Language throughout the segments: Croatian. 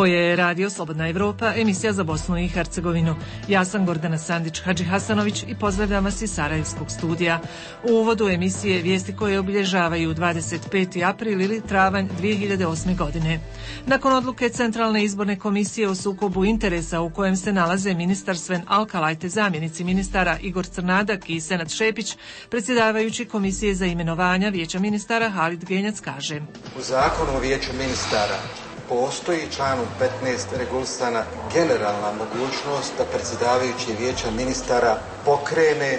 Ovo je Radio Slobodna Evropa, emisija za Bosnu i Hercegovinu. Ja sam Gordana Sandić-Hadžihasanović i pozdravljam vas iz Sarajevskog studija. U uvodu emisije vijesti koje obilježavaju 25. april ili travanj 2008. godine. Nakon odluke Centralne izborne komisije o sukobu interesa u kojem se nalaze ministar Sven Alkalaj te zamjenici ministara Igor Crnadak i Senad Šepić, predsjedavajući Komisije za imenovanja Vijeća ministara Halid Genjac kaže: U zakonu o Vijeću ministara postoji članom 15 regulisana generalna mogućnost da predsjedavajući Vijeća ministara pokrene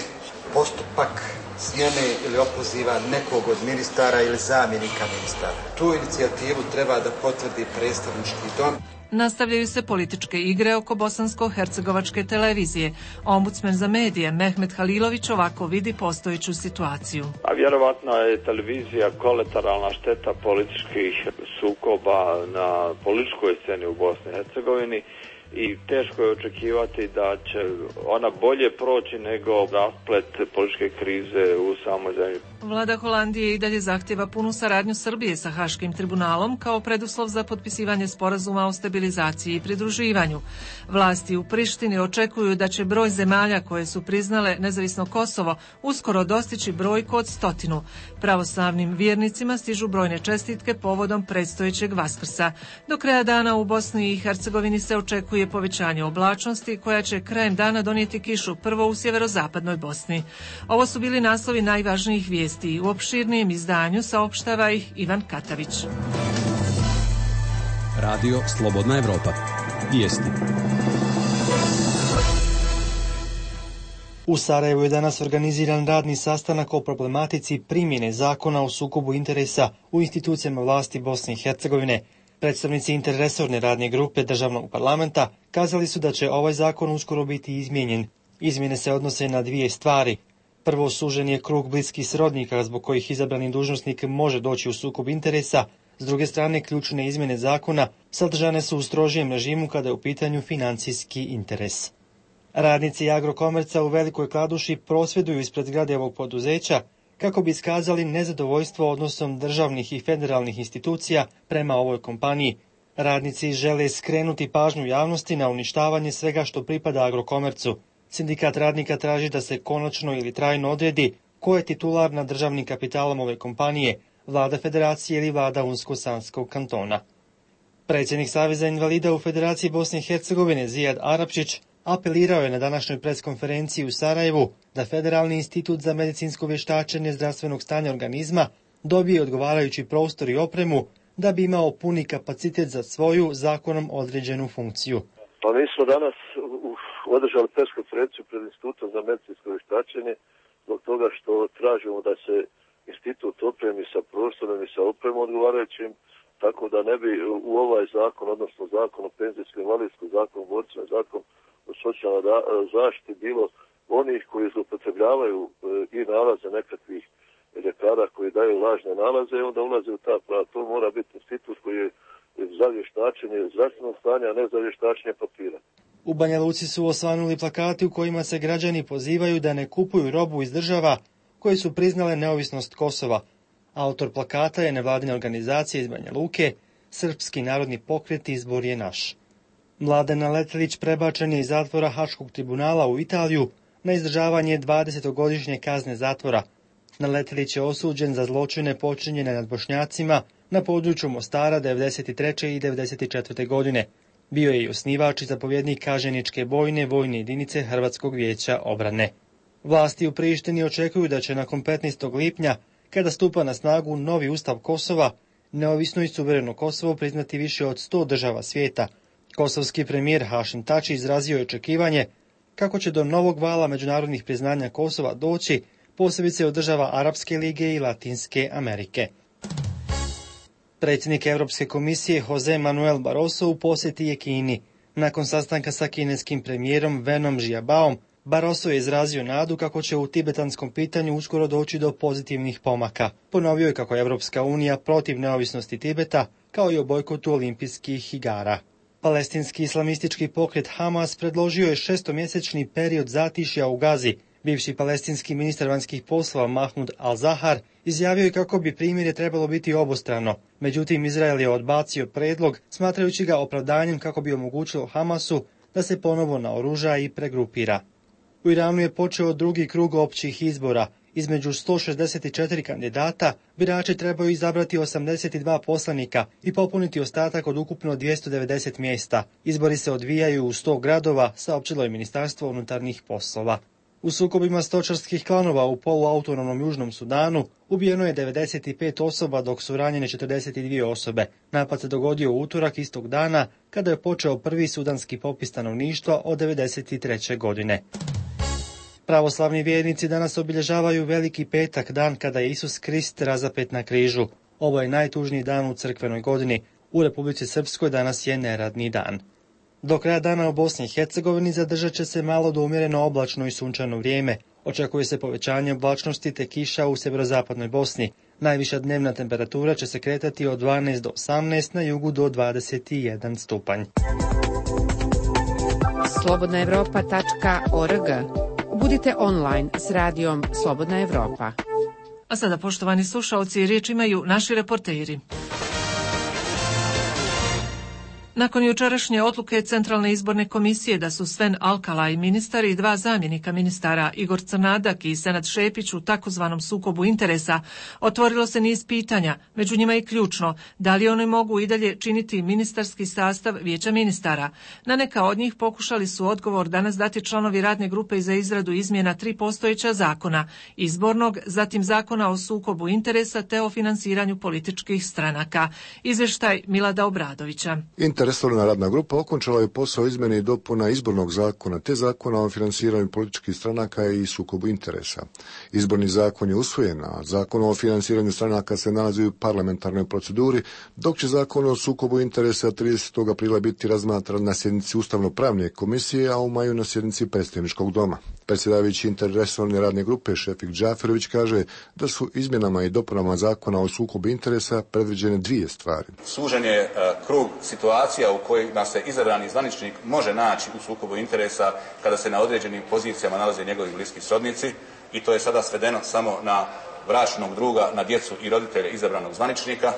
postupak smjene ili opoziva nekog od ministara ili zamjenika ministara. Tu inicijativu treba da potvrdi predstavnički dom. Nastavljaju se političke igre oko bosansko-hercegovačke televizije. Ombudsman za medije Mehmet Halilović ovako vidi postojeću situaciju. A vjerovatno je televizija kolateralna šteta političkih sukoba na političkoj sceni u Bosni i Hercegovini i teško je očekivati da će ona bolje proći nego rasplet političke krize u samoj zemlji. Vlada Holandije i dalje zahtjeva punu saradnju Srbije sa Haškim tribunalom kao preduslov za potpisivanje sporazuma o stabilizaciji i pridruživanju. Vlasti u Prištini očekuju da će broj zemalja koje su priznale nezavisno Kosovo uskoro dostići brojku od 100. Pravoslavnim vjernicima stižu brojne čestitke povodom predstojećeg Vaskrsa. Do kraja dana u Bosni i Hercegovini se očekuje povećanje oblačnosti koja će krajem dana donijeti kišu prvo u sjeverozapadnoj Bosni. Ovo su bili naslovi najvažnijih vijesti. U opširnijem izdanju saopštava ih Ivan Katavić. Radio Slobodna Evropa. Vijesti. U Sarajevu je danas organiziran radni sastanak o problematici primjene zakona o sukobu interesa u institucijama vlasti Bosne i Hercegovine. Predstavnici interresorne radne grupe državnog parlamenta kazali su da će ovaj zakon uskoro biti izmijenjen. Izmjene se odnose na dvije stvari. Prvo, sužen je krug bliskih srodnika zbog kojih izabrani dužnosnik može doći u sukob interesa. S druge strane, ključne izmjene zakona sadržane su u strožijem režimu kada je u pitanju financijski interes. Radnici Agrokomerca u Velikoj Kladuši prosvjeduju ispred zgrade ovog poduzeća kako bi iskazali nezadovoljstvo odnosom državnih i federalnih institucija prema ovoj kompaniji. Radnici žele skrenuti pažnju javnosti na uništavanje svega što pripada Agrokomercu. Sindikat radnika traži da se konačno ili trajno odredi ko je titular nad državnim kapitalom ove kompanije, vlada federacije ili vlada Unsko-Sanskog kantona. Predsjednik Saveza invalida u Federaciji Bosne i Hercegovine Zijad Arapčić apelirao je na današnjoj preskonferenciji u Sarajevu da Federalni institut za medicinsko vještačenje zdravstvenog stanja organizma dobije odgovarajući prostor i opremu da bi imao puni kapacitet za svoju zakonom određenu funkciju. Pa mi smo danas održali preskonferenciju pred Institutom za medicinsko vještačenje zbog toga što tražimo da se institut opremi sa prostorom i sa opremom odgovarajućim, tako da ne bi u ovaj zakon, odnosno zakon o penzijskom invalidskom, zakon o borcima, zakon o socijalnoj zaštiti bilo onih koji zloupotrebljavaju i nalaze nekakvih ljekara koji daju lažne nalaze i onda ulaze u ta prava. To mora biti institut koji je za vještačenje zdravstvenog stanja, a ne za vještačenje papira. U Banja Luci su osvanuli plakati u kojima se građani pozivaju da ne kupuju robu iz država koje su priznale neovisnost Kosova. Autor plakata je nevladina organizacija iz Banja Luke, Srpski narodni pokret Izbor je naš. Mladen Letelić prebačen je iz zatvora Haškog tribunala u Italiju na izdržavanje 20-godišnje kazne zatvora. Letelić je osuđen za zločine počinjene nad Bošnjacima na području Mostara 1993. i 1994. godine. Bio je i osnivač i zapovjednik Kaženičke bojne vojne jedinice Hrvatskog vijeća obrane. Vlasti u Prištini očekuju da će nakon 15. lipnja, kada stupa na snagu novi ustav Kosova, neovisno i suvereno Kosovo priznati više od 100 država svijeta. Kosovski premijer Hašim Tači izrazio je očekivanje kako će do novog vala međunarodnih priznanja Kosova doći, posebice od država Arapske lige i Latinske Amerike. Predsjednik Europske komisije Jose Manuel Barroso u posjeti je Kini. Nakon sastanka sa kineskim premijerom Wenom Jiabaom, Barroso je izrazio nadu kako će u tibetanskom pitanju uskoro doći do pozitivnih pomaka. Ponovio je kako je Europska unija protiv neovisnosti Tibeta, kao i o bojkotu olimpijskih igara. Palestinski islamistički pokret Hamas predložio je 6-mjesečni period zatišja u Gazi, Bivši palestinski ministar vanjskih poslova Mahmud al-Zahar izjavio je kako bi primirje trebalo biti obostrano. Međutim, Izrael je odbacio predlog, smatrajući ga opravdanjem kako bi omogućilo Hamasu da se ponovo naoruža i pregrupira. U Iranu je počeo drugi krug općih izbora. Između 164 kandidata birači trebaju izabrati 82 poslanika i popuniti ostatak od ukupno 290 mjesta. Izbori se odvijaju u 100 gradova, saopćilo je Ministarstvo unutarnjih poslova. U sukobima stočarskih klanova u poluautonomnom Južnom Sudanu ubijeno je 95 osoba, dok su ranjene 42 osobe. Napad se dogodio u utorak istog dana, kada je počeo prvi sudanski popis stanovništva od 1993. godine. Pravoslavni vjernici danas obilježavaju Veliki petak, dan kada je Isus Krist razapet na križu. Ovo je najtužniji dan u crkvenoj godini. U Republici Srpskoj danas je neradni dan. Do kraja dana u Bosni i Hercegovini zadržat će se malo do umjereno oblačno i sunčano vrijeme. Očekuje se povećanje oblačnosti te kiša u sjeverozapadnoj Bosni. Najviša dnevna temperatura će se kretati od 12 do 18, na jugu do 21 stupanj. slobodnaevropa.org. Budite online s radijom Slobodna Evropa. A sada, poštovani slušalci, riječ imaju naši reporteri. Nakon jučerašnje odluke Centralne izborne komisije da su Sven Alkalaj, ministar, i dva zamjenika ministara, Igor Crnadak i Senad Šepić, u takozvanom sukobu interesa, otvorilo se niz pitanja, među njima i ključno, da li oni mogu i dalje činiti ministarski sastav Vijeća ministara. Na neka od njih pokušali su odgovor danas dati članovi radne grupe za izradu izmjena 3 postojeća zakona, izbornog, zatim zakona o sukobu interesa te o finansiranju političkih stranaka. Izvještaj Milada Obradovića. Resorna radna grupa okončala je posao izmjene i dopuna izbornog zakona te zakona o finansiranju političkih stranaka i sukobu interesa. Izborni zakon je usvojen, a zakon o finansiranju stranaka se nalazi u parlamentarnoj proceduri, dok će zakon o sukobu interesa 30. aprila biti razmatran na sjednici Ustavno-pravne komisije, a u maju na sjednici Predstavničkog doma. Predsjedavajući interresorne radne grupe Šefik Džaferović kaže da su izmjenama i dopunama zakona o sukobu interesa predviđene dvije stvari. Sužen je krug situacija u kojima se izabrani zvaničnik može naći u sukobu interesa kada se na određenim pozicijama nalaze njegovi bliski srodnici, i to je sada svedeno samo na bračnog druga, na djecu i roditelje izabranog zvaničnika.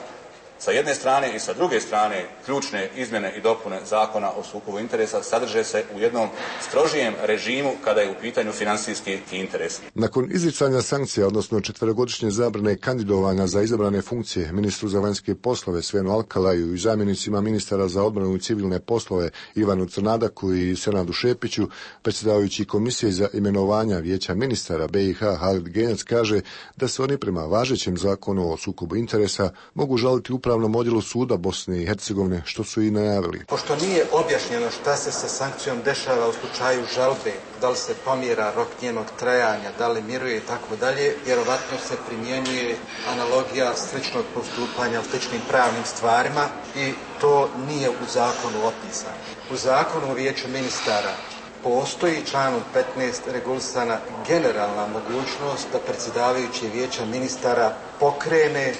Sa jedne strane i sa druge strane, ključne izmjene i dopune zakona o sukobu interesa sadrže se u jednom strožijem režimu kada je u pitanju financijski interes. Nakon izricanja sankcija, odnosno 4-godišnje zabrane kandidovanja za izabrane funkcije ministru za vanjske poslove Svenu Alkalaju i zamjenicima ministara za odbranu i civilne poslove Ivanu Crnadaku i Senadu Šepiću, predsjedavajući komisije za imenovanja Vijeća ministara BiH Halid Genjac kaže da se oni prema važećem zakonu o sukobu interesa mogu žaliti Upravnom odjelu suda Bosne i Hercegovine, što su i najavili. Pošto nije objašnjeno šta se sa sankcijom dešava u slučaju žalbe, da li se pomjera rok njenog trajanja, da li miruje i tako dalje, vjerovatno se primjenjuje analogija sličnog postupanja u sličnim pravnim stvarima i to nije u zakonu opisano. U zakonu o Vijeću ministara postoji članom 15 regulisana generalna mogućnost da predsjedavajući Vijeća ministara pokrene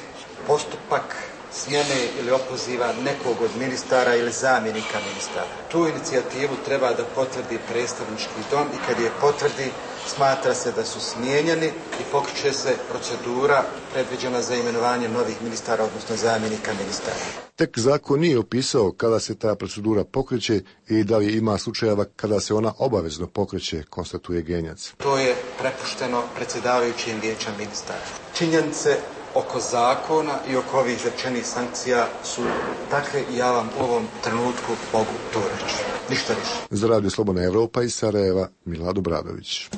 postupak smjene ili opoziva nekog od ministara ili zamjenika ministara. Tu inicijativu treba da potvrdi predstavnički dom i kad je potvrdi smatra se da su smijenjeni i pokreće se procedura predviđena za imenovanje novih ministara, odnosno zamjenika ministara. Tek zakon nije opisao kada se ta procedura pokreće i da li ima slučajeva kada se ona obavezno pokreće, konstatuje Genjac. To je prepušteno predsjedavajućim Vijeća ministara. Činjenice oko zakona i oko ovih izrečenih sankcija su takve i ja vam u ovom trenutku mogu to reći. Ništa više. Za Radio Slobodna Evropa iz Sarajeva, Milad Obradović.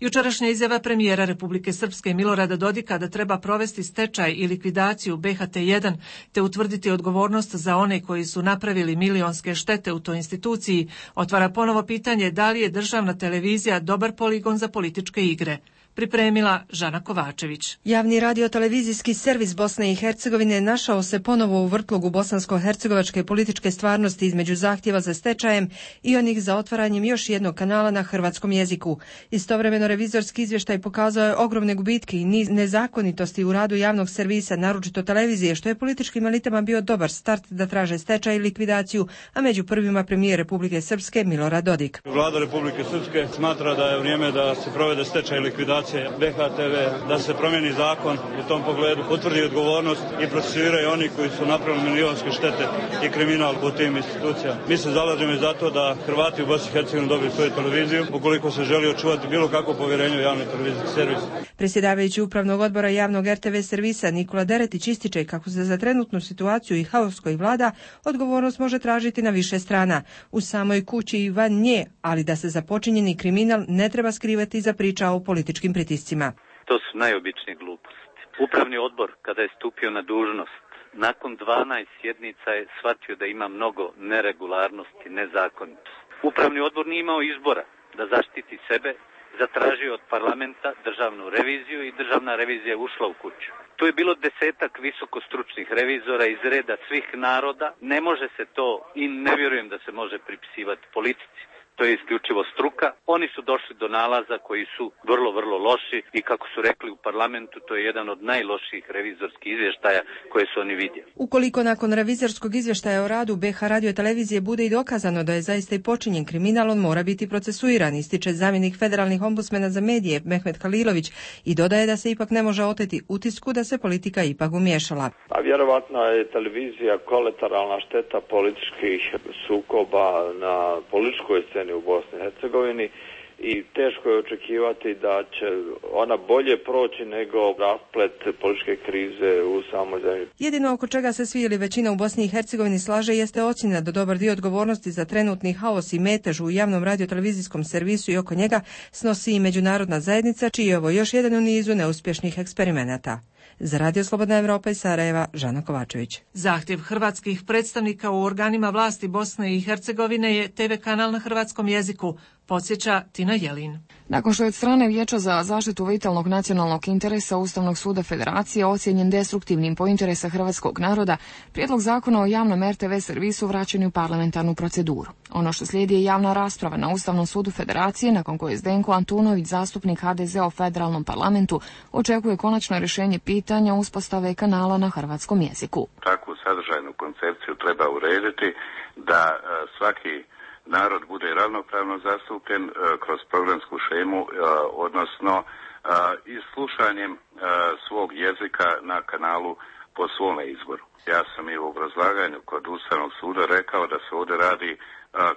Jučerašnja izjava premijera Republike Srpske Milorada Dodika da treba provesti stečaj i likvidaciju BHT1 te utvrditi odgovornost za one koji su napravili milionske štete u toj instituciji otvara ponovo pitanje da li je državna televizija dobar poligon za političke igre. pripremila Žana Kovačević. Javni radio-televizijski servis Bosne i Hercegovine našao se ponovo u vrtlogu bosansko-hercegovačke političke stvarnosti između zahtjeva za stečajem i onih za otvaranjem još jednog kanala na hrvatskom jeziku. Istovremeno revizorski izvještaj pokazao je ogromne gubitke i niz nezakonitosti u radu javnog servisa, naročito televizije, što je političkim elitama bio dobar start da traže stečaj i likvidaciju, a među prvima premijer Republike Srpske Milorad Dodik. Vlada Republike Srpske smatra da je vrijeme da se provede stečaj i likvidacija BHTV, da se promijeni zakon u tom pogledu, utvrdi odgovornost i procesuiraju oni koji su napravili milionske štete i kriminal po tim institucijama. Mi se zalažemo za to da Hrvati u Bosni i Hercegovini dobiju svoju televiziju, ukoliko se želi očuvati bilo kakvo povjerenje u javni televizijski servis. Predsjedavajući upravnog odbora javnog RTV servisa Nikola Deretić ističe kako se za trenutnu situaciju i haos koji vlada odgovornost može tražiti na više strana, u samoj kući i van nje, ali da se za počinjeni kriminal ne treba skrivati iza priča o političkim pritiscima. To su najobičnije gluposti. Upravni odbor, kada je stupio na dužnost, nakon 12 sjednica je shvatio da ima mnogo neregularnosti, nezakonitosti. Upravni odbor nije imao izbora da zaštiti sebe, zatražio od parlamenta državnu reviziju i državna revizija je ušla u kuću. Tu je bilo 10-ak visokostručnih revizora iz reda svih naroda. Ne može se to i ne vjerujem da se može pripisivati politici. To je isključivo struka. Oni su došli do nalaza koji su vrlo, vrlo loši i kako su rekli u parlamentu, to je jedan od najlošijih revizorskih izvještaja koje su oni vidjeli. Ukoliko nakon revizorskog izvještaja o radu BH radio-televizije bude i dokazano da je zaista i počinjen kriminal, on mora biti procesuiran, ističe zamjenik federalnih ombudsmena za medije Mehmet Halilović i dodaje da se ipak ne može oteti utisku da se politika ipak umiješala. A vjerovatno je televizija kolateralna šteta političkih sukoba na političkoj sceni u Bosni i Hercegovini i teško je očekivati da će ona bolje proći nego rasplet političke krize u samoj zemlji. Jedino oko čega se svi ili većina u Bosni i Hercegovini slaže jeste ocjena da dobar dio odgovornosti za trenutni haos i metež u javnom radio-televizijskom servisu i oko njega snosi i međunarodna zajednica, čiji je ovo još jedan u nizu neuspješnih eksperimenata. Za Radio Slobodna Evropa iz Sarajeva, Žana Kovačević. Zahtjev hrvatskih predstavnika u organima vlasti Bosne i Hercegovine je TV kanal na hrvatskom jeziku, podsjeća Tina Jelin. Nakon što je od strane Vijeća za zaštitu vitalnog nacionalnog interesa Ustavnog suda Federacije ocijenjen destruktivnim po interesa hrvatskog naroda, prijedlog zakona o javnom RTV servisu vraćen je u parlamentarnu proceduru. Ono što slijedi je javna rasprava na Ustavnom sudu Federacije, nakon koje Zdenko Antunović, zastupnik HDZ-a u federalnom parlamentu, očekuje konačno rješenje pitanja uspostave kanala na hrvatskom jeziku. Takvu sadržajnu koncepciju treba urediti da svaki narod bude ravnopravno zastupljen kroz programsku šemu, odnosno i slušanjem svog jezika na kanalu po svome izboru. Ja sam i u obrazlaganju kod Ustavnog suda rekao da se ovdje radi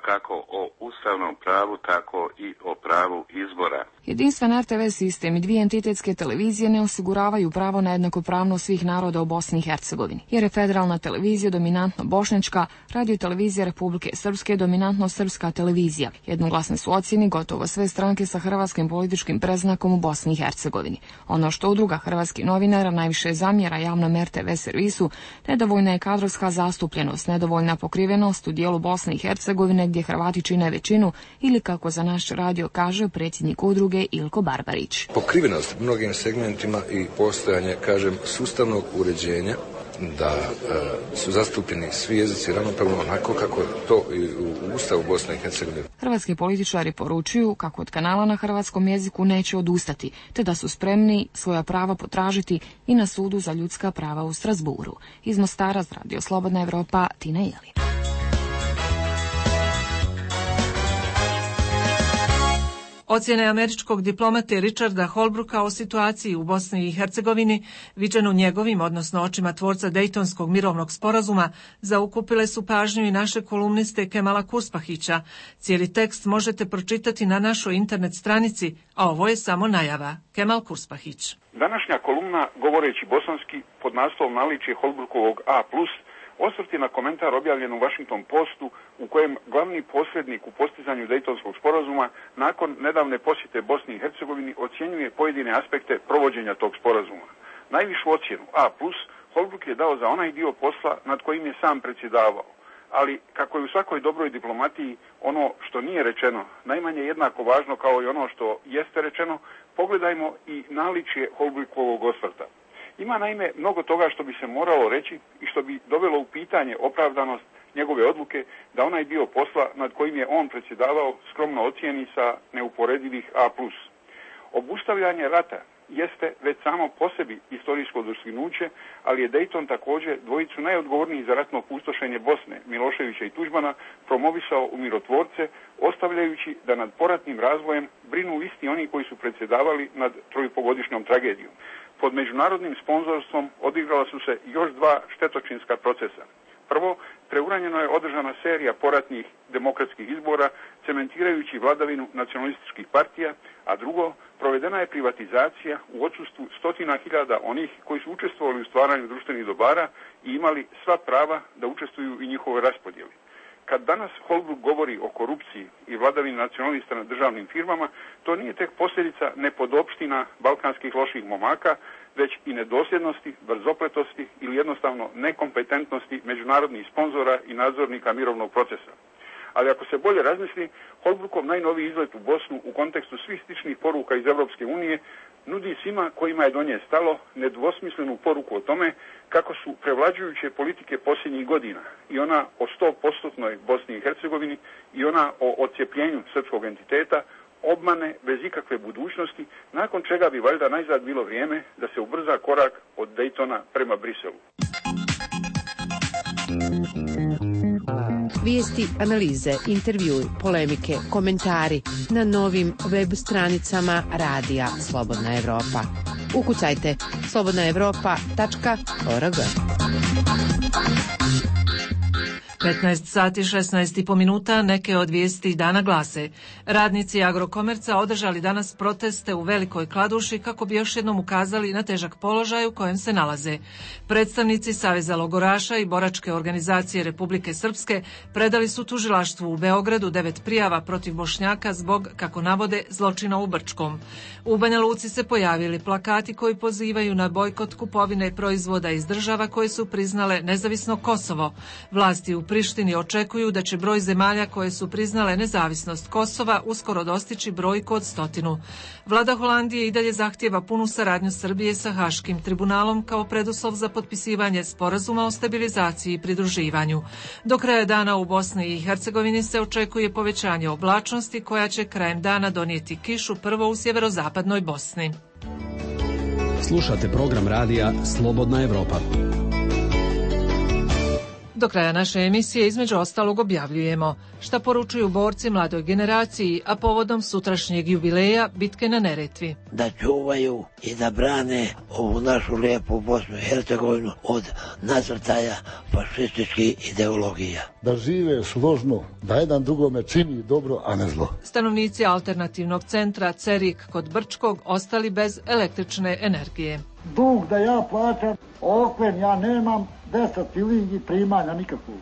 kako o ustavnom pravu, tako i o pravu izbora. Jedinstven RTV sistem i dvije entitetske televizije ne osiguravaju pravo na jednakopravnost svih naroda u Bosni i Hercegovini, jer je federalna televizija dominantno bošnjačka, radio-televizija Republike Srpske dominantno srpska televizija. Jednoglasne su ocjeni gotovo sve stranke sa hrvatskim političkim predznakom u Bosni i Hercegovini. Ono što udruga hrvatskih novinara najviše zamjera javnom RTV servisu, nedovoljna je kadrovska zastupljenost, nedovoljna pokrivenost u dijelu Bosne i Hercegovine gdje Hrvati čine većinu, ili kako za naš radio kaže predsjednik udruge Ilko Barbarić. Pokrivenost mnogim segmentima i postojanje, sustavnog uređenja da su zastupljeni svi jezici ravnopravno onako kako je to i u Ustavu Bosne i Hercegovine. Hrvatski političari poručuju kako od kanala na hrvatskom jeziku neće odustati, te da su spremni svoja prava potražiti i na sudu za ljudska prava u Strasburu. Iz Mostara za Radio Slobodna Evropa, Tina Jelin. Ocjene američkog diplomate Richarda Holbrooka o situaciji u Bosni i Hercegovini, viđenu njegovim, odnosno očima tvorca Dejtonskog mirovnog sporazuma, zaokupile su pažnju i naše kolumniste Kemala Kurspahića. Cijeli tekst možete pročitati na našoj internet stranici, a ovo je samo najava. Kemal Kurspahić. Današnja kolumna, govoreći bosanski, pod naslovom naličje Holbrookovog A+, osvrti na komentar objavljen u Washington Postu u kojem glavni posrednik u postizanju Dejtonskog sporazuma nakon nedavne posjete Bosni i Hercegovini ocjenjuje pojedine aspekte provođenja tog sporazuma. Najvišu ocjenu A+, Holbrook je dao za onaj dio posla nad kojim je sam predsjedavao. ali kako je u svakoj dobroj diplomatiji ono što nije rečeno najmanje jednako važno kao i ono što jeste rečeno, pogledajmo i naličje Holbrookovog osvrta. Ima naime mnogo toga što bi se moralo reći i što bi dovelo u pitanje opravdanost njegove odluke da onaj dio posla nad kojim je on predsjedavao skromno ocijeni sa neuporedivih A+. Obustavljanje rata jeste već samo po sebi historijsko dostignuće, ali je Dayton također dvojicu najodgovornijih za ratno pustošenje Bosne, Miloševića i Tuđmana, promovisao u mirotvorce, ostavljajući da nad poratnim razvojem brinu isti oni koji su predsjedavali nad trojpogodišnjom tragedijom. Pod međunarodnim sponzorstvom odigrala su se još dva štetočinska procesa. Prvo, preuranjeno je održana serija poratnih demokratskih izbora, cementirajući vladavinu nacionalističkih partija, a drugo, provedena je privatizacija u odsustvu stotina hiljada onih koji su učestvovali u stvaranju društvenih dobara i imali sva prava da učestvuju i njihovoj raspodjeli. Kad danas Holbrooke govori o korupciji i vladavini nacionalista na državnim firmama, to nije tek posljedica nepodopština balkanskih loših momaka, već i nedosljednosti, brzopletosti ili jednostavno nekompetentnosti međunarodnih sponzora i nadzornika mirovnog procesa. Ali ako se bolje razmisli, Holbrookov najnoviji izlet u Bosnu u kontekstu svih sličnih poruka iz Europske unije nudi svima kojima je do nje stalo nedvosmislenu poruku o tome kako su prevlađujuće politike posljednjih godina, i ona o 100% Bosni i Hercegovini i ona o odcijepljenju srpskog entiteta, obmane bez ikakve budućnosti, nakon čega bi valjda najzad bilo vrijeme da se ubrza korak od Daytona prema Briselu. Vijesti, analize, intervjui, polemike, komentari na novim web stranicama Radija Slobodna Evropa. Ukucajte slobodnaevropa.org. 15 sati 16,5 minuta, neke od vijesti dana glase. Radnici Agrokomerca održali danas proteste u Velikoj Kladuši kako bi još jednom ukazali na težak položaj u kojem se nalaze. Predstavnici Saveza logoraša i boračke organizacije Republike Srpske predali su tužilaštvu u Beogradu 9 prijava protiv Bošnjaka zbog, kako navode, zločina u Brčkom. U Banja Luci se pojavili plakati koji pozivaju na bojkot kupovine proizvoda iz država koje su priznale nezavisno Kosovo. Vlasti u Prištini očekuju da će broj zemalja koje su priznale nezavisnost Kosova uskoro dostići brojku od 100. Vlada Holandije i dalje zahtijeva punu saradnju Srbije sa Haškim tribunalom kao preduslov za potpisivanje sporazuma o stabilizaciji i pridruživanju. Do kraja dana u Bosni i Hercegovini se očekuje povećanje oblačnosti koja će krajem dana donijeti kišu prvo u sjeverozapadnoj Bosni. Slušate program radija Slobodna Evropa. Do kraja naše emisije između ostalog objavljujemo šta poručuju borci mladoj generaciji, a povodom sutrašnjeg jubileja bitke na Neretvi. Da čuvaju i da brane ovu našu lijepu Bosnu i Hercegovinu od nasrtaja fašističkih ideologija. Da žive složno, da jedan drugome čini dobro, a ne zlo. Stanovnici alternativnog centra Cerik kod Brčkog ostali bez električne energije. Dug da ja plaćam, okren ja nemam, 10 filingi primanja nikakvog.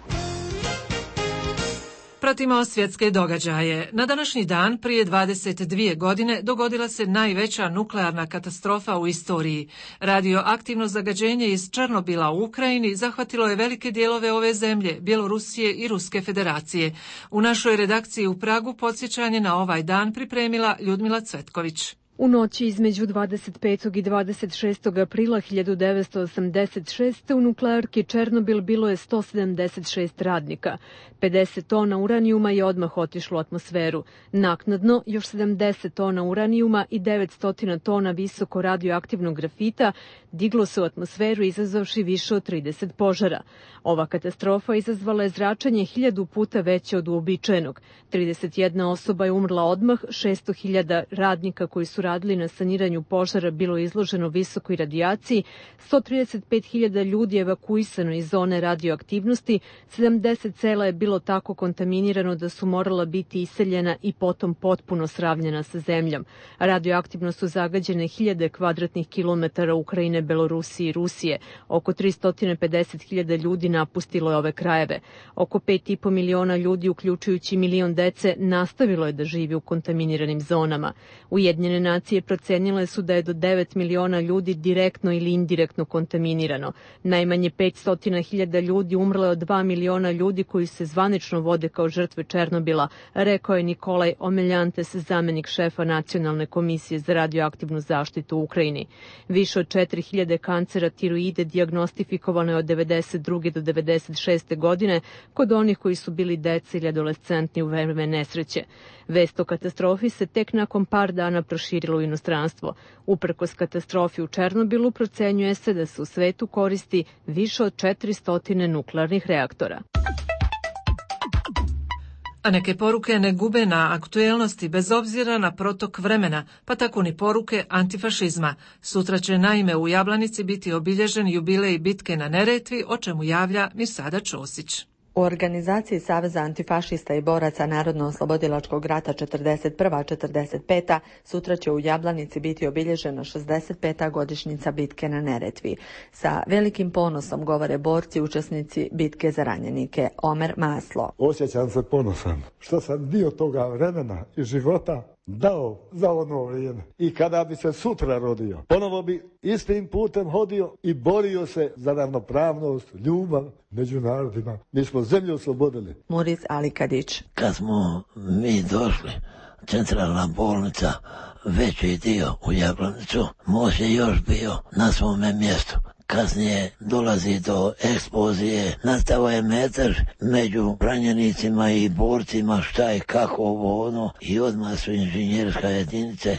Pratimo svjetske događaje. Na današnji dan prije 22 godine dogodila se najveća nuklearna katastrofa u istoriji. Radioaktivno zagađenje iz Černobila u Ukrajini zahvatilo je velike dijelove ove zemlje, Bjelorusije i Ruske federacije. U našoj redakciji u Pragu podsjećanje na ovaj dan pripremila Ljudmila Cvetković. U noći između 25. i 26. aprila 1986. u nuklearki Černobil bilo je 176 radnika. 50 tona uranijuma je odmah otišlo u atmosferu. Naknadno, još 70 tona uranijuma i 900 tona visoko radioaktivnog grafita diglo se u atmosferu izazvavši više od 30 požara. Ova katastrofa izazvala je zračenje 1000 puta veće od uobičajenog. 31 osoba je umrla odmah, 600.000 radnika koji su radili na saniranju požara bilo izloženo visokoj radijaciji, 135.000 ljudi je evakuisano iz zone radioaktivnosti, 70 sela je bilo tako kontaminirano da su morala biti iseljena i potom potpuno sravnjena sa zemljom. Radioaktivno su zagađene 1000 kvadratnih kilometara Ukrajine, Belorusije i Rusije. Oko 350.000 ljudi napustilo je ove krajeve. Oko 5,5 miliona ljudi, uključujući milion dece, nastavilo je da živi u kontaminiranim zonama. Ujedinjene nacije procenile su da je do 9 miliona ljudi direktno ili indirektno kontaminirano. Najmanje 500.000 ljudi umrlo je od 2 miliona ljudi koji se zvanično vode kao žrtve Černobila, rekao je Nikolaj Omeljantes, zamenik šefa Nacionalne komisije za radioaktivnu zaštitu u Ukrajini. Više od 4.000 kancera tiroide dijagnostifikovano je od 92. do 96. godine kod onih koji su bili deca ili adolescentni u vreme nesreće. Vest o katastrofi se tek nakon par dana proširila u inostranstvo. Uprkos katastrofi u Černobilu procenjuje se da se u svetu koristi više od 400 nuklearnih reaktora. A neke poruke ne gube na aktuelnosti bez obzira na protok vremena, pa tako ni poruke antifašizma. Sutra će naime u Jablanici biti obilježen jubilej bitke na Neretvi, o čemu javlja Mirsada Ćosić. U organizaciji Saveza antifašista i boraca Narodno-oslobodilačkog rata 41.-45. sutra će u Jablanici biti obilježena 65. godišnjica bitke na Neretvi. Sa velikim ponosom govore borci učesnici bitke za ranjenike. Omer Maslo. Osjećam se ponosan što sam dio toga vremena i života dao za ono vrijeme. I kada bi se sutra rodio, ponovo bi istim putem hodio i borio se za ravnopravnost, ljubav među narodima. Mi smo zemlju oslobodili. Muris Alikadić. Kad smo mi došli, centralna bolnica, veći dio u Jablanicu, most je još bio na svome mjestu. Kasnije dolazi do eksplozije, nastao je metar među ranjenicima i borcima, šta je kako ovo ono, i odmah su inženjerska jedinice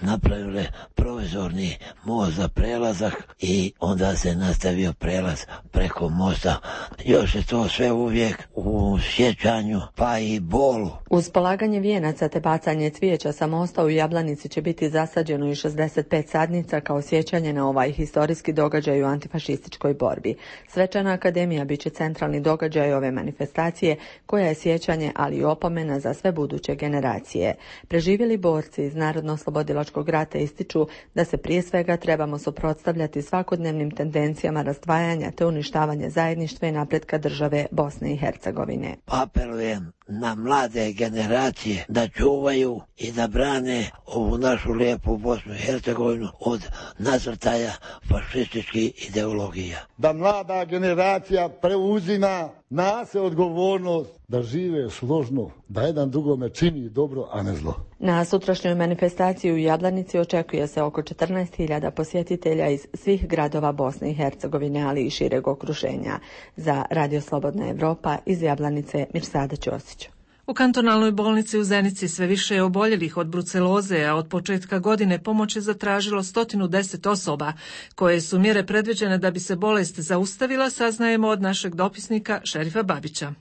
napravile provizorni most za prelazak i onda se nastavio prelaz preko mosta. Još je to sve uvijek u sjećanju, pa i bolu. Uz polaganje vijenaca te bacanje cvijeća sa mosta u Jablanici će biti zasađeno i 65 sadnica kao sjećanje na ovaj historijski događaj u antifašističkoj borbi. Svečana akademija bit će centralni događaj ove manifestacije, koja je sjećanje, ali i opomena za sve buduće generacije. Preživjeli borci iz Narodno-oslobodilačkog rata ističu da se prije svega trebamo suprotstavljati svakodnevnim tendencijama razdvajanja te uništavanja zajedništva i napretka države Bosne i Hercegovine. Apelujem na mlade generacije da čuvaju i da brane ovu našu lijepu Bosnu i Hercegovinu od nasrtaja fašističkih ideologija. Da mlada generacija preuzima na se odgovornost da žive složno, da jedan drugome čini dobro, a ne zlo. Na sutrašnjoj manifestaciji u Jablanici očekuje se oko 14.000 posjetitelja iz svih gradova Bosne i Hercegovine, ali i šireg okruženja. Za Radio Slobodna Evropa iz Jablanice, Mirsada Ćosić. U kantonalnoj bolnici u Zenici sve više je oboljelih od bruceloze, a od početka godine pomoć je zatražilo 110 osoba, koje su mjere predviđene da bi se bolest zaustavila, saznajemo od našeg dopisnika Šerifa Babića.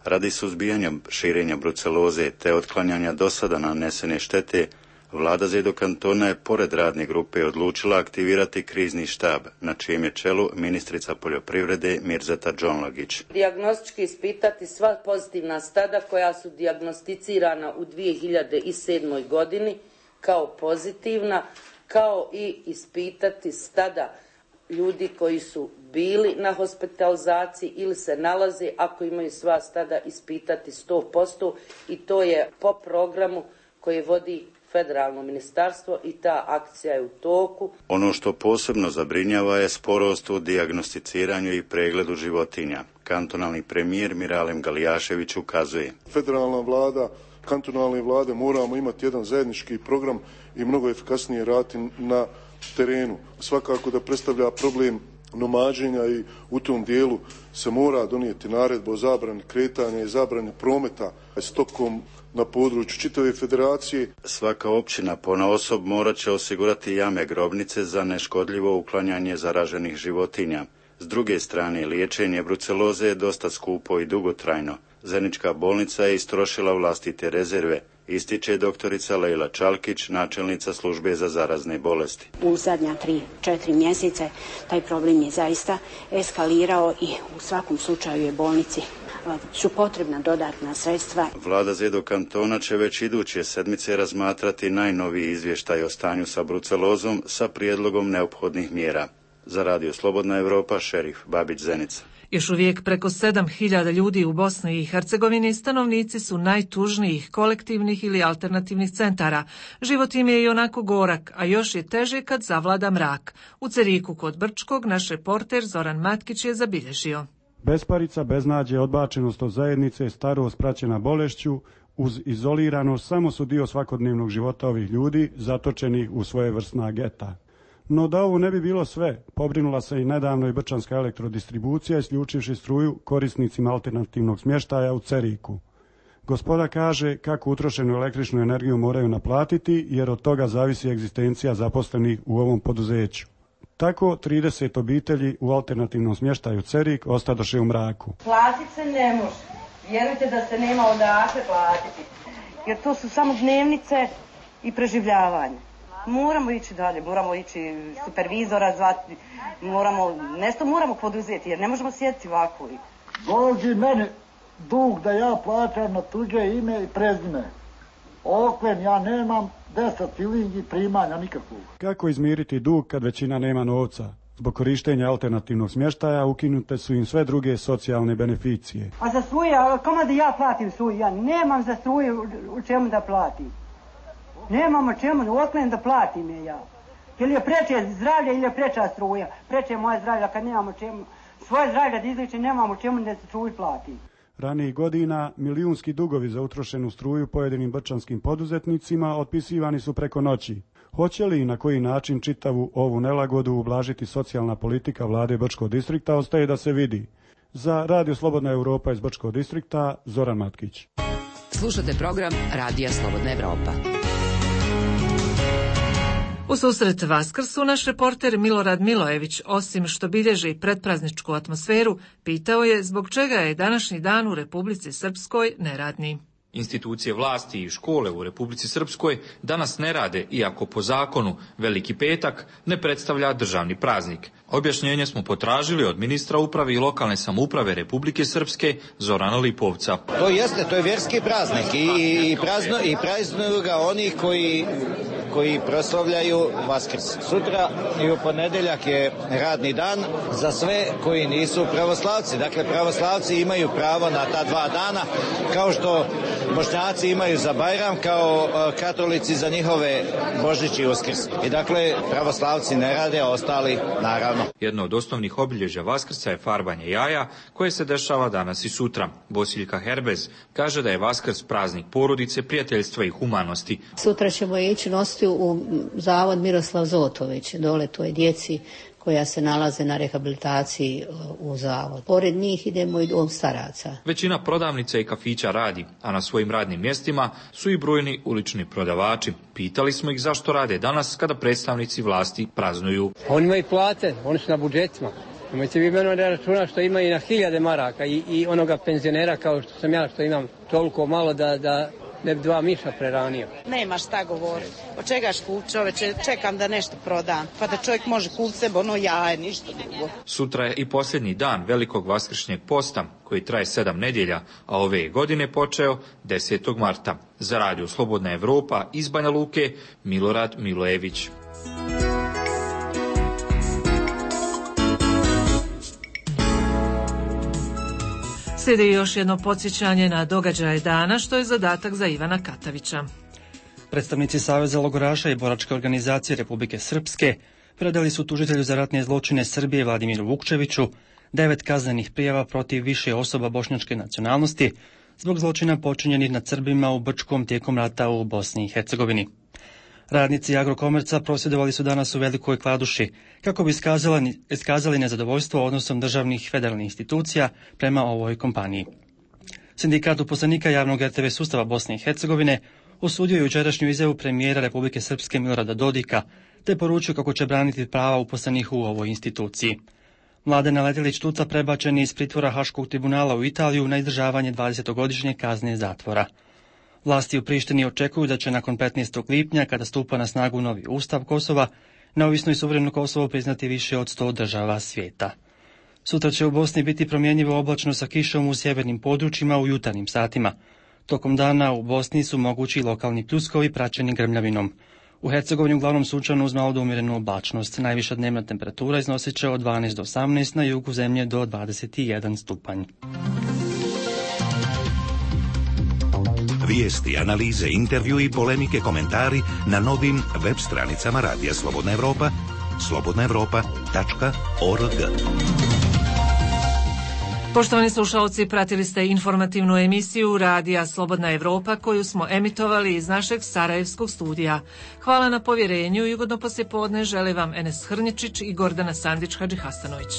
Radi suzbijanja širenja bruceloze te otklanjanja dosada nanesene štete, Vlada Zedo kantona je pored radne grupe odlučila aktivirati krizni štab, na čijem je čelu ministrica poljoprivrede Mirzeta Džonlagić. Dijagnostički ispitati sva pozitivna stada koja su dijagnosticirana u 2007. godini kao pozitivna, kao i ispitati stada ljudi koji su bili na hospitalizaciji ili se nalaze, ako imaju sva stada, ispitati 100%, i to je po programu koji vodi federalno ministarstvo i ta akcija je u toku. Ono što posebno zabrinjava je sporost u dijagnosticiranju i pregledu životinja. Kantonalni premijer Miralem Galijašević ukazuje. Federalna vlada, kantonalne vlade moramo imati jedan zajednički program i mnogo efikasnije raditi na terenu. Svakako da predstavlja problem nomađenja i u tom dijelu se mora donijeti naredba o zabrani kretanja i zabrani prometa stokom na području čitave federacije. Svaka općina ponaosob morat će osigurati jame grobnice za neškodljivo uklanjanje zaraženih životinja. S druge strane, liječenje bruceloze je dosta skupo i dugotrajno. Zenička bolnica je istrošila vlastite rezerve, ističe doktorica Lejla Čalkić, načelnica službe za zarazne bolesti. U zadnja 3-4 mjeseca taj problem je zaista eskalirao i u svakom slučaju je bolnici su potrebna dodatna sredstva. Vlada Zedo kantona će već iduće sedmice razmatrati najnoviji izvještaj o stanju sa brucelozom sa prijedlogom neophodnih mjera. Za Radio Slobodna Evropa, Šerif Babić, Zenica. Još uvijek preko 7.000 ljudi u Bosni i Hercegovini stanovnici su najtužnijih kolektivnih ili alternativnih centara. Život im je i onako gorak, a još je teže kad zavlada mrak. U Ceriku kod Brčkog naš reporter Zoran Matkić je zabilježio. Besparica, beznađe, odbačenost od zajednice, starost praćena bolešću, uz izoliranost samo su dio svakodnevnog života ovih ljudi zatočenih u svojevrsna geta. No da ovo ne bi bilo sve, pobrinula se i nedavno i Brčanska elektrodistribucija isključivši struju korisnicima alternativnog smještaja u Ceriku. Gospoda kaže kako utrošenu električnu energiju moraju naplatiti jer od toga zavisi egzistencija zaposlenih u ovom poduzeću. Tako 30 obitelji u alternativnom smještaju Cerik ostadoše u mraku. Platit se ne može. Vjerujte da se nema odakle platiti. Jer to su samo dnevnice i preživljavanje. Moramo ići dalje, moramo ići supervizora zvati, nešto moramo poduzeti jer ne možemo sjediti ovako. Dođi meni dug da ja plaćam na tuđe ime i prezime. Oklen ja nemam 10 filingi primanja nikakvog. Kako izmiriti dug kad većina nema novca? Zbog korištenja alternativnog smještaja ukinute su im sve druge socijalne beneficije. A za struje, kome da ja platim struju? Ja nemam za struju u čemu da platim. Nemam o čemu, oklen da platim je ja. Ili je preče zdravlje ili je preča struja. Preče moje zdravlje kad nemam o čemu. Svoje zdravlje da izliči nemam o čemu da se struju plati. Ranijih godina milijunski dugovi za utrošenu struju pojedinim brčanskim poduzetnicima otpisivani su preko noći. Hoće li i na koji način čitavu ovu nelagodu ublažiti socijalna politika vlade Brčkog distrikta ostaje da se vidi. Za Radio Slobodna Evropa iz Brčkog distrikta, Zoran Matkić. Slušate program Radija Slobodna Evropa. U susret Vaskrsu naš reporter Milorad Milojević, osim što bilježi predprazničku atmosferu, pitao je zbog čega je današnji dan u Republici Srpskoj neradni. Institucije vlasti i škole u Republici Srpskoj danas ne rade, iako po zakonu Veliki petak ne predstavlja državni praznik. Objašnjenje smo potražili od ministra uprave i lokalne samouprave Republike Srpske Zorana Lipovca. To je vjerski praznik i praznuju ga onih koji proslavljaju Vaskrs. Sutra i u ponedjeljak je radni dan za sve koji nisu pravoslavci. Dakle, pravoslavci imaju pravo na ta 2 dana, kao što Bošnjaci imaju za Bajram, kao katolici za njihove Božić i Uskrs. I dakle, pravoslavci ne rade, a ostali naravno. Jedno od osnovnih obilježja Vaskrsa je farbanje jaja, koje se dešava danas i sutra. Bosiljka Herbez kaže da je Vaskrs praznik porodice, prijateljstva i humanosti. Sutra ćemo ići nositi u zavod Miroslav Zotović, dole toj djeci koja se nalaze na rehabilitaciji u zavod. Pored njih idemo i dom staraca. Većina prodavnica i kafića radi, a na svojim radnim mjestima su i brojni ulični prodavači. Pitali smo ih zašto rade danas kada predstavnici vlasti praznuju. Oni imaju plate, oni su na budžetima. Imajte vi mene da računa što ima i na 1000 maraka i onoga penzionera kao što sam ja, što imam toliko malo da ne bi 2 miša preranio. Nema šta govoriti. Od čegaš kup čoveče, čekam da nešto prodam, pa da čovjek može kupiti sebe ono jaje, ništa drugo. Sutra je i posljednji dan velikog vaskršnjeg posta, koji traje 7 nedjelja, a ove godine počeo 10. marta. Za Radio Slobodna Evropa iz Banja Luke, Milorad Milojević. Slijedi još jedno podsjećanje na događaje dana, što je zadatak za Ivana Katavića. Predstavnici Saveza logoraša i boračke organizacije Republike Srpske predali su tužitelju za ratne zločine Srbije Vladimiru Vukčeviću 9 kaznenih prijava protiv više osoba bošnjačke nacionalnosti zbog zločina počinjenih nad Srbima u Brčkom tijekom rata u Bosni i Hercegovini. Radnici Agrokomerca prosvjedovali su danas u Velikoj Kladuši kako bi iskazali nezadovoljstvo odnosom državnih federalnih institucija prema ovoj kompaniji. Sindikat uposlenika javnog RTV sustava Bosne i Hercegovine osudio je jučerašnju izjavu premijera Republike Srpske Milorada Dodika te poručio kako će braniti prava uposlenih u ovoj instituciji. Mladen Letelić Tuca prebačen je iz pritvora Haškog tribunala u Italiju na izdržavanje 20-godišnje kazne zatvora. Vlasti u Prištini očekuju da će nakon 15. lipnja, kada stupa na snagu novi ustav Kosova, neovisno i suvereno Kosovo priznati više od 100 država svijeta. Sutra će u Bosni biti promjenjivo oblačno sa kišom u sjevernim područjima u jutarnjim satima. Tokom dana u Bosni su mogući lokalni pljuskovi praćeni grmljavinom. U Hercegovini uglavnom sunčano uz malo do umjerenu oblačnost. Najviša dnevna temperatura iznosit će od 12 do 18, na jugu zemlje do 21 stupanj. Vijesti, analize, intervju i polemike, komentari na novim web stranicama Radija Slobodna Evropa, slobodnaevropa.org. Poštovani slušalci, pratili ste informativnu emisiju Radija Slobodna Evropa koju smo emitovali iz našeg sarajevskog studija. Hvala na povjerenju i ugodno poslijepodne žele vam Enes Hrničić i Gordana Sandić Hadžihasanović.